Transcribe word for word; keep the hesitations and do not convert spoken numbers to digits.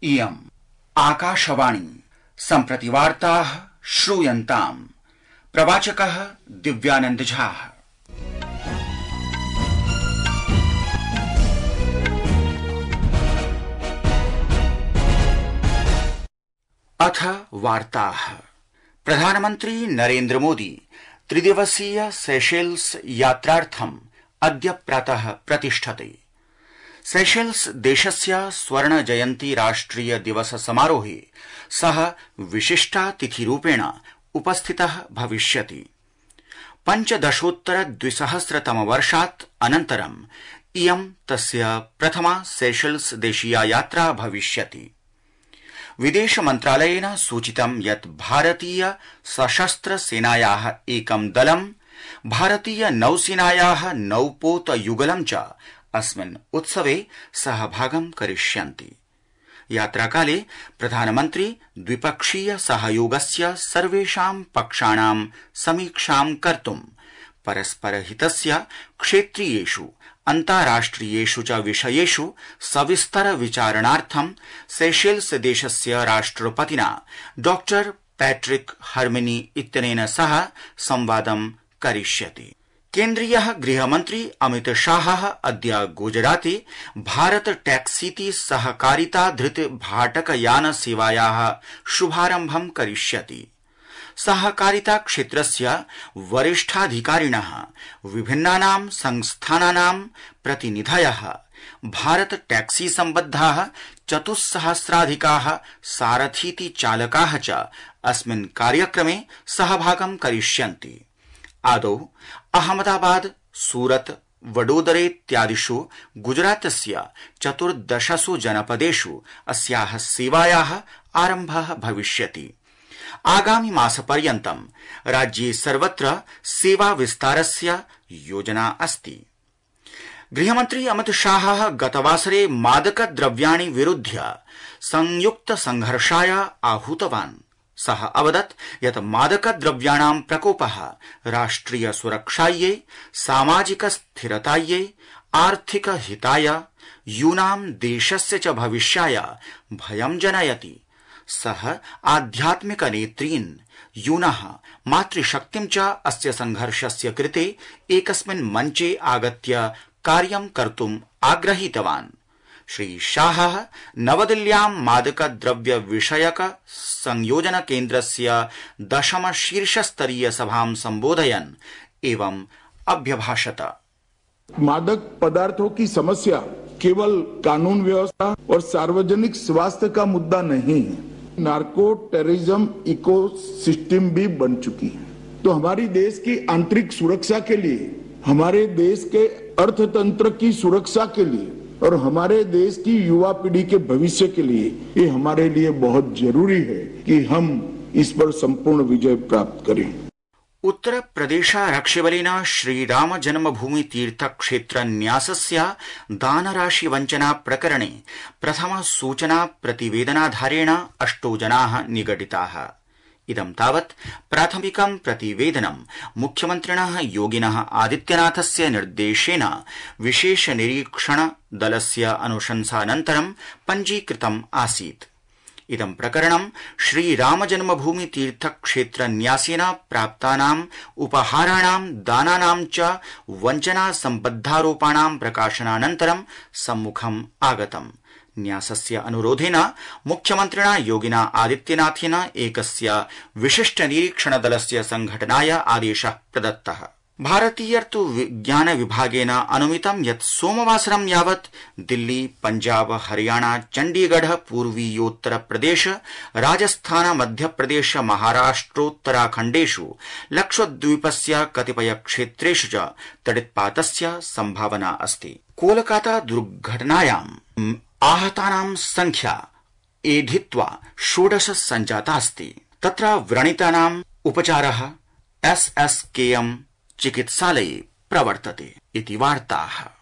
इयम् आकाशवाणी सम्प्रति वार्ताः श्रूयन्ताम्। प्रवाचकः दिव्यानंद झा। अथ वार्ताः। प्रधानमन्त्री नरेन्द्र मोदी त्रिदिवसीय सेशेल्स यात्रार्थम् अद्य प्रातः प्रतिष्ठते। सेशेल्स देशस्य स्वर्ण जयन्ती राष्ट्रिय दिवस समारोहे सः विशिष्टातिथिरूपेण उपस्थितः भविष्यति। पञ्चदशोत्तर द्विसहस्रतम वर्षात् अनन्तरम् इयं तस्य प्रथमा सेशेल्स देशीया यात्रा भविष्यति। विदेश मन्त्रालयेन सूचितं यत् भारतीय सशस्त्र सेनायाः एकं दलं भारतीय नौसेनायाः नौपोत युगलं च अस्मिन् उत्सवे सहभागं करिष्यन्ति। यात्राकाले प्रधानमन्त्री द्विपक्षीय सहयोगस्य सर्वेषां पक्षाणां समीक्षां कर्तुं परस्परहितस्य क्षेत्रीयेषु अन्ताराष्ट्रियेषु च विषयेषु सविस्तर विचारणार्थं सेशेल्स देशस्य राष्ट्रपतिना डॉक्टर पैट्रिक हर्मिनी इत्यनेन सह संवादं करिष्यति। केन्द्रीयः गृहमन्त्री अमित शाहः अद्य गुजराते भारत टैक्सीति सहकारिता धृत भाटकयान सेवायाः शुभारम्भं करिष्यति। सहकारिता क्षेत्रस्य वरिष्ठाधिकारिणः विभिन्नानां संस्थानानां प्रतिनिधयः भारत टैक्सी सम्बद्धाः चतुस्सहस्राधिकाः सारथीति चालकाः च अस्मिन् कार्यक्रमे सहभागं करिष्यन्ति। आदौ अहमदाबाद, सूरत, वडोदरेत्यादिषु गुजरातस्य चतुर्दशसु जनपदेषु अस्याः सेवायाः आरम्भः भविष्यति। आगामि मासपर्यन्तं राज्ये सर्वत्र सेवा विस्तारस्य योजना अस्ति। गृहमन्त्री अमित शाहः गतवासरे मादक द्रव्याणि विरुध्य संयुक्त संघर्षाय आहूतवान्। सः अवदत् यत् मादक द्रव्याणां प्रकोपः राष्ट्रिय सुरक्षायै, सामाजिक स्थिरतायै, आर्थिक हिताय, यूनां देशस्य च भविष्याय भयं जनयति। सः आध्यात्मिक नेत्रीन्, यूनः मातृशक्तिं च अस्य संघर्षस्य कृते एकस्मिन् मञ्चे आगत्य कार्यं कर्तुम् आग्रहीतवान्। श्री शाहः नवदिल्ल्यां मादक द्रव्य विषयक संयोजन केन्द्रस्य दशम शीर्षस्तरीय सभां संबोधयन् एवं अभ्यभाषत। मादक पदार्थों की समस्या केवल कानून व्यवस्था और सार्वजनिक स्वास्थ्य का मुद्दा नहीं है, नार्को टेररिज्म इकोसिस्टम भी बन चुकी है। तो हमारी देश की आंतरिक सुरक्षा के लिए, हमारे देश के अर्थतंत्र की सुरक्षा के लिए और हमारे देश की युवा पीढ़ी के भविष्य के लिए ये हमारे लिए बहुत जरूरी है कि हम इस पर संपूर्ण विजय प्राप्त करें। उत्तर प्रदेशारक्षिबलेन श्रीराम जन्मभूमि तीर्थ क्षेत्र न्यासस्य दानराशि वञ्चना प्रकरणे प्रथम सूचना प्रतिवेदनाधारेण अष्टौ जनाः निगडिताः। इदं तावत् प्राथमिकं प्रतिवेदनं मुख्यमन्त्रिणः योगिनः आदित्यनाथस्य निर्देशेन विशेष निरीक्षण दलस्य अनुशंसानन्तरं पञ्जीकृतम् आसीत्। इदं प्रकरणं श्रीराम जन्मभूमि तीर्थ क्षेत्र न्यासेन प्राप्तानाम् उपहाराणां दानानां च वञ्चना सम्बद्धारोपाणां प्रकाशनानन्तरं सम्मुखम् आगतम्। न्यासस्य अनुरोधेन मुख्यमन्त्रिणा योगिना आदित्यनाथेन एकस्य विशिष्ट निरीक्षण दलस्य संघटनाय आदेशः प्रदत्तः। भारतीय ऋतु विज्ञान विभागेन अनुमितं यत् सोमवासरं यावत् दिल्ली, पंजाब, हरियाणा, चण्डीगढ़, पूर्वीयोत्तर प्रदेश, राजस्थान, मध्यप्रदेश, महाराष्ट्रोत्तराखण्डेषु लक्षद्वीपस्य कतिपय क्षेत्रेषु च तडित्पातस्य संभावना अस्ति। कोलकाता दुर्घटनायां आहतानां संख्या एधित्वा षोडश सञ्जातास्ति। तत्र व्रणितानाम् उपचारः एस एस के एम चिकित्सालये प्रवर्तते इति वार्ताः।